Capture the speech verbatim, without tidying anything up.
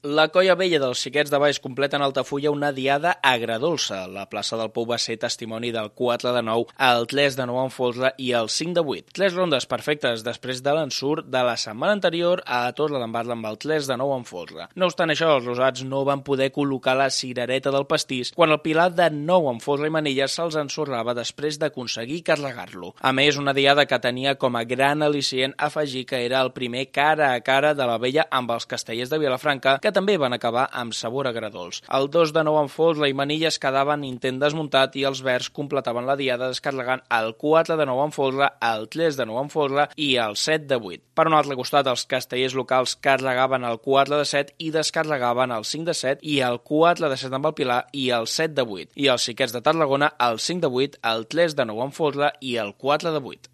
La Colla Vella dels Xiquets de Valls completa en Altafulla una diada agredolça. La plaça del Pou va ser testimoni del quatre de nou, el tres de nou en Folre i el cinc de vuit. Tres rondes perfectes després de l'ensurt de la setmana anterior a Torredembarra amb el tres de nou en Folre. No obstant això, els rosats no van poder col·locar la cirereta del pastís quan el pilar de nou en Folre i Manilles se'ls ensorrava després d'aconseguir carregar-lo. A més, una diada que tenia com a gran al·licient afegir que era el primer cara a cara de la Vella amb els castellers de Vilafranca, que també van acabar amb sabor agredolç. El dos de nou en Folre i Manilles quedaven intent desmuntat i els verds completaven la diada descarregant el quatre de nou en Folre, el tres de nou en Folre i el set de vuit. Per un altre costat, els castellers locals carregaven el quatre de set i descarregaven el cinc de set i el quatre de set amb el Pilar i el set de vuit. I els xiquets de Tarragona el cinc de vuit, el tres de nou en Folre i el quatre de vuit.